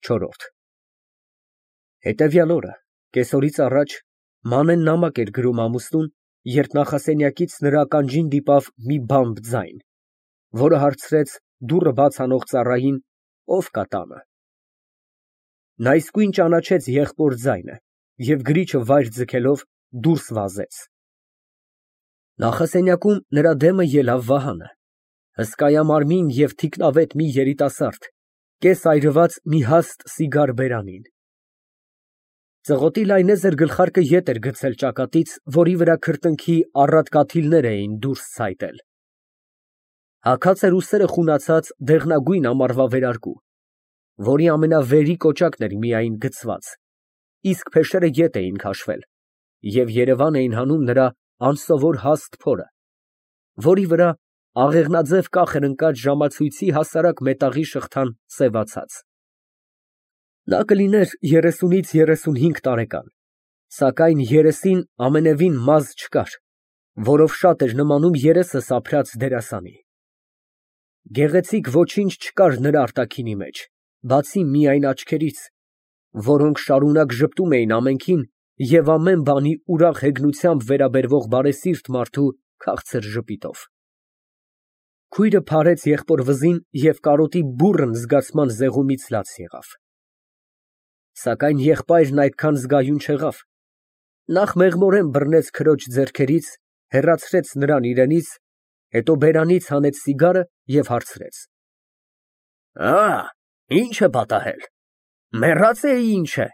Չորրորդ Հետևյալ օրը, կեսօրից առաջ, Մանեն նամակ էր գրում ամուսնուն, երբ նախասենյակից նրա ականջին դիպավ մի բամբ ձայն, որը հարցրեց դուռը բաց անող ծառային, ով կա տանը։ Նա իսկույն ճանաչեց եղբոր ձայնը և գրիչը վայր ձգելով դուրս վազեց։ Նախասենյակում նրա դեմը ելավ Վահանը, հսկայամարմին և թիկնավետ մի երիտասարդ, կես այրված մի հաստ սիգար բերանին։ Ծղոտի լայնեզր գլխարկը ետ էր գցել ճակատից, որի վրա քրտինքի առատ կաթիլներ էին դուրս ցայտել։ Հագած էր ուսերը խունացած դեղնագույն ամառվա վերարկու, որի ամենավերի կոճակն էր միայն գցված, իսկ փեշերը ետ էին քաշվել և երևան էին հանում նրա անսովոր հաստ փորը, որի վրա աղեղնաձև կախ էր ընկած ժամացույցի հասարակ մետաղի շղթան սևացած։ Նա կլիներ 30-ից 35 տարեկան, սակայն երեսին ամենևին մազ չկար, որով շատ էր նմանում երեսը սափրած դերասանի։ Գեղեցիկ ոչինչ չկար նրա արտաքինի մեջ, բացի միայն աչքերից, որոնք շարունակ ժպտում էին ամենքին և ամեն բանի ուրախ հեգնությամբ վերաբերվող բարեսիրտ մարդու քաղցր ժպիտով։ Քույրը փարեց եղբոր վզին և կարոտի բուռն զգացման զեղումից լաց եղավ։ Սակայն եղբայրն այդքան զգայուն չեղավ, նախ մեղմորեն բռնեց քրոջ ձեռքերից, հեռացրեց նրան իրենից, հետո բերանից հանեց սիգարը և հարցրեց. Ի՞նչ է պատահել, մեռած էի ինչ է,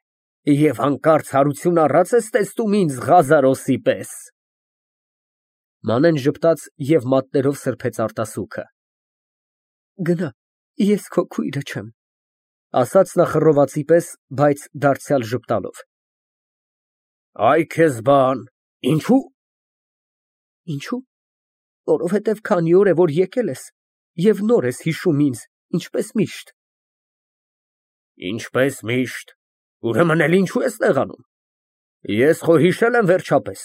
և հանկարծ հարություն առած ես տեսնում ինձ Ղազարոսի պես։ Մանեն ժպտաց և մատներով սրբեց արտասուքը։ Գնա, ես քո քույրը չեմ, ասաց նա խռովացի պես, բայց դարձյալ ժպտալով։ Այ քեզ բան, ինչո՞ւ։ Ինչո՞ւ, որովհետև քանի օր է, որ եկել ես և նոր ես հիշում ինձ, ինչպես միշտ։ Ինչպես միշտ, ուրեմն էլ ինչու ես նեղանում, ես խո հիշել եմ վերջապես։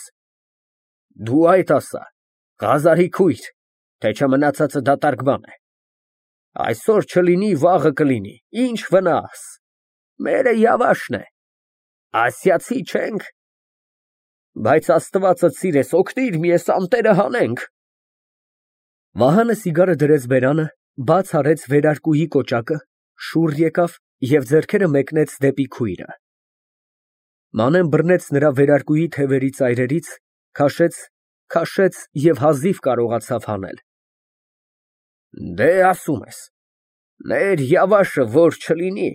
Դու այդ ասա, Ղազարի քույր, թե չէ մնացածը դատարկ բան է։ Այսօր չլինի, վաղը կլինի, ինչ վնաս, մերը Յավաշն է, ասիացի չենք։ Բայց Աստվածդ սիրես, օգնիր, մի էս անտերը հանենք։ Վահանը սիգարը դրեց բերանը, բաց արեց վերարկուի կոճակը, շուռ եկավ և ձեռքերը մեկնեց դեպի քույրը։ Մանեն բռնեց նրա վերարկուի թևերի ծայրերից, քաշեց և հազիվ կարողացավ հանել։ Դե ասում ես, մեր Յավաշը որ չլինի,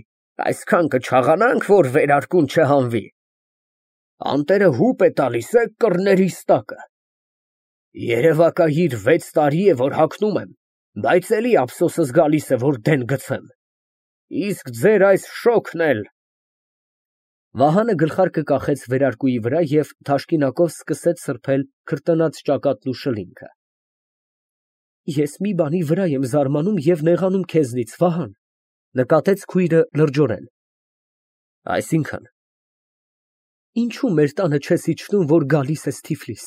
այսքան կչաղանանք, որ վերարկուն չհանվի։ Անտերը հուպ է տալիս կռներիս տակը։ Երևակայիր 6 տարի է, որ հագնում եմ, բայց էլի ափսոսս գալիս է, որ դեն գցեմ։ Իսկ ձեր այս շոգն էլ… Վահանը գլխարկը կախեց վերարկուի վրա և թաշկինակով սկսեց սրբել քրտնած ճակատն ու շլինգը։ Ես մի բանի վրա եմ զարմանում և նեղանում քեզնից, Վահան, նկատեց քույրը լրջորեն։ Այսինքն… Ինչու մեր տանը չես իջնում, որ գալիս ես Թիֆլիս։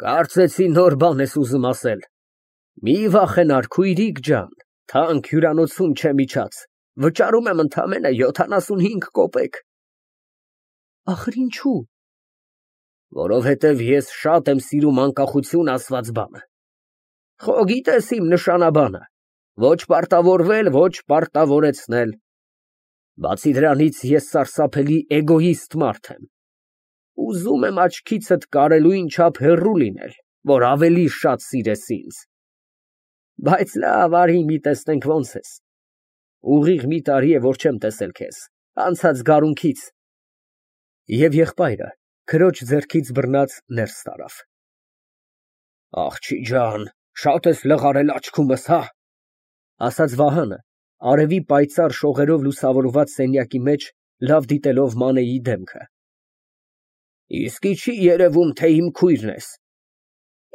Կարծեցի նոր բան ես ուզում ասել։ Մի վախենար, քույրիկ ջան, թանկ հյուրանոցում չեմ իջած, վճարում եմ ընդամենը 75 կոպեկ։ Ախր ինչու։ Որովհետև ես շատ եմ սիրում անկախություն ասված բանը։ Խո գիտես իմ նշանաբանը, ոչ պարտավորվել, ոչ պարտավորեցնել։ Բացի դրանից ես սարսափելի էգոիստ մարդ եմ։ Ուզում եմ աչքիցդ կարելույն չափ հեռու լինել, որ ավելի շատ սիրես ինձ։ Բայց լավ, արի մի տեսնենք ոնց ես։ Ուղիղ մի տարի է, որ չեմ տեսել քեզ, անցած գարունքից։ Եվ եղբայրը քրոջ ձեռքից բռնած ներս տարավ։ Աղջի ջան, շատ ես լղարել աչքումս, հա, ասաց Վահանը, արևի պայծառ շողերով լուսավորված սենյակի մեջ լավ դիտելով Մանեի դեմքը։ Իսկի չի երևում, թե իմ քույրն ես։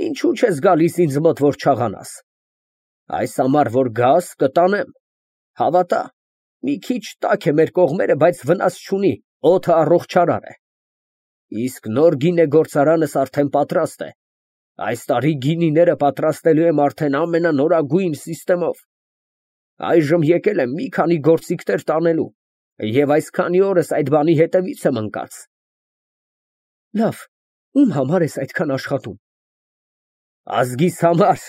Ինչու չես գալիս ինձ մոտ, որ չաղանաս։ Այս ամառ որ գաս, կտանեմ։ Հավատա, մի քիչ տաք է մեր կողմերը, բայց վնաս չունի, օդը առողջարար է։ Իսկ նոր գինեգործարանս արդեն պատրաստ է։ Այս տարի գինիները պատրաստելու եմ արդեն ամենանորագույն սիստեմով։ Այժմ եկել եմ մի քանի գործիքներ տանելու և այսքանի օրս այդ բանի հետևից եմ ընկած։ Լավ, ում համար ես այդքան աշխատում։ Ազգիս համար։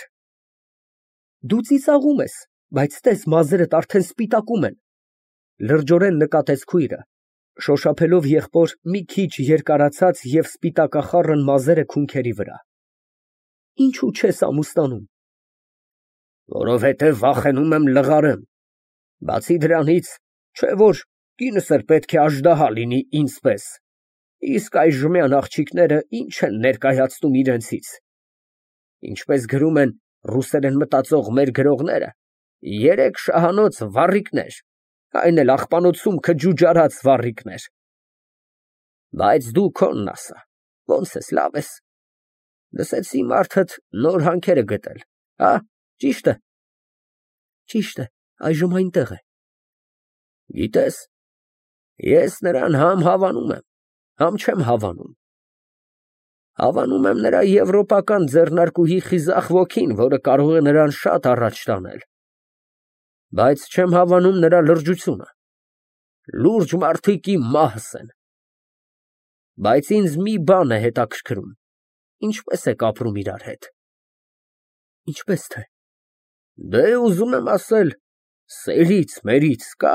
Դու ծիծաղում ես, բայց տես մազերդ արդեն սպիտակում են, լրջորեն նկատեց քույրը, շոշափելով եղբոր մի քիչ երկարացած և սպիտակախառն մազերը քունքերի վրա։ Ինչու չես ամուսնանում։ Որովհետև վախենում եմ լղարեմ։ Բացի դրանից, չէ որ կինս էլ պետք է աժդահա լինի ինձ պես։ Իսկ այժմյան աղջիկները ինչ են ներկայացնում իրենցից։ Ինչպես գրում են ռուսերեն մտածող մեր գրողները, 3 շահանոց վառիկներ, այն էլ աղբանոցում քջուջարած վառիկներ։ Բայց դու քոնն ասա, ոնց ես, լավ ես։ Լսեցի մարդդ նոր հանքեր է գտել, հա, ճիշտ է։ Ճիշտ է, այժմ այնտեղ է։ Գիտես, ես նրան համ հավանում եմ, համ չեմ հավանում։ Հավանում եմ նրա եվրոպական ձեռնարկուհի խիզախ ոգին, որը կարող է նրան շատ առաջ տանել։ Բայց չեմ հավանում նրա լրջությունը։ Լուրջ մարդիկ իմ մահս են։ Բայց ինձ մի բան է հետաքրքրում. ինչպես եք ապրում իրար հետ։ Ինչպես թե։ Դե ուզում եմ ասել, սերից մերից կա։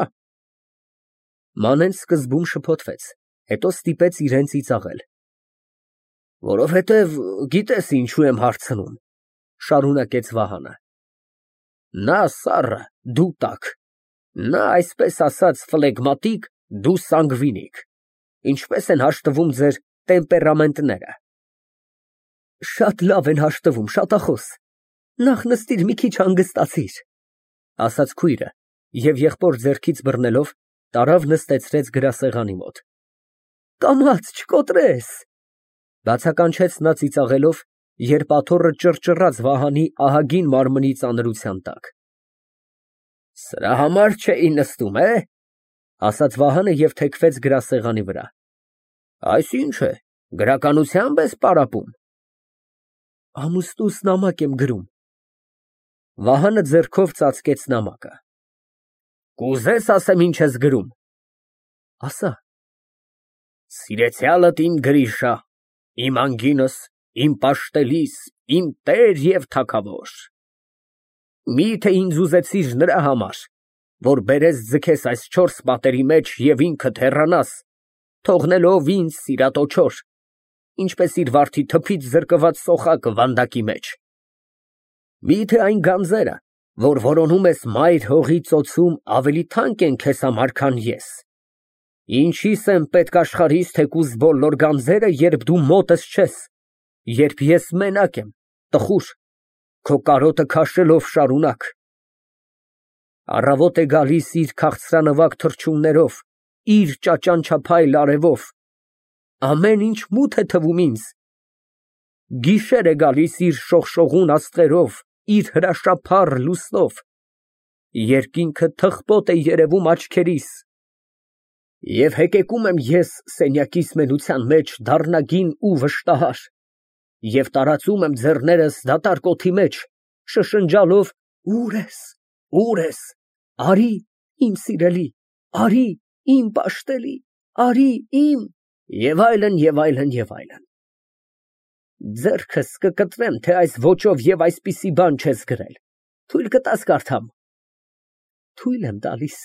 Մանեն սկզբում շփոթվեց, հետո ստիպեց իրեն ծիծաղել։ Որովհետև գիտես ինչու եմ հարցնում, շարունակեց Վահանը։ Նա սառը, դու տաք, նա այսպես ասած ֆլեգմատիկ, դու սանգվինիկ։ Ինչպես են հաշտվում ձեր տեմպերամենտները։ Շատ լավ են հաշտվում, շատախոս։ Նախ նստիր մի քիչ հանգստացիր, ասաց քույրը և եղբոր ձեռքից բռնելով տարավ նստեցրեց գրասեղանի մոտ։ Կամաց չկոտրես, բացականչեց նա ծիծաղելով, երբ աթոռը ճռճռաց Վահանի ահագին մարմնի ծանրության տակ։ Սրա համար չէի նստում, ասաց Վահանը և թեքվեց գրասեղանի վրա։ Այս ինչ է, գրականությամբ ես պարապում։ Ամուսնուս նամակ եմ գրում։ Վահանը ձեռքով ծածկեց նամակը։ Կուզես ասեմ ինչ ես գրում։ Ասա։ Սիրեցյալդ իմ Գրիշա, իմ անգինս, իմ պաշտելիս, իմ տեր և թագավոր։ Միթե ինձ ուզեցիր նրա համար, որ բերես ձգես այս 4 պատերի մեջ և ինքդ հեռանաս, թողնելով ինձ սիրատոչոր, ինչպես իր վարդի թփից զրկված սոխակը վանդակի մեջ։ Միթե այն գանձերը, որ որոնում ես մայր հողի ծոցում, ավելի թանկ են քեզ համար, քան ես։ Ինչիս են պետք աշխարհիս թեկուզ բոլոր գանձերը, երբ դու մոտս չես, երբ ես մենակ եմ, տխուր, քո կարոտը քաշելով շարունակ։ Առավոտ է գալիս իր քաղցրանվակ թռչուններով, իր ճաճանչափայլ արևով, ամեն ինչ մութ է թվում ինձ։ Գիշեր է գալիս իր շողշողուն աստղերով, իր հրաշափառ լուսնով, երկինքը թխպոտ է երևում աչքերիս, և հեկեկում եմ ես սենյակիս մենության մեջ դառնագին ու վշտահար, և տարածում եմ ձեռներս դատարկ օդի մեջ, շշնջալով. ուր ես, ուր ես, արի, իմ սիրելի, արի, իմ պաշտելի, արի, իմ, և այլն, և այլն, և այլն։ Ձեռքս կկտրեմ, թե այս ոճով և այսպիսի բան չես գրել։ Թույլ կտա՞ս կարդամ։ Թույլ եմ տալիս։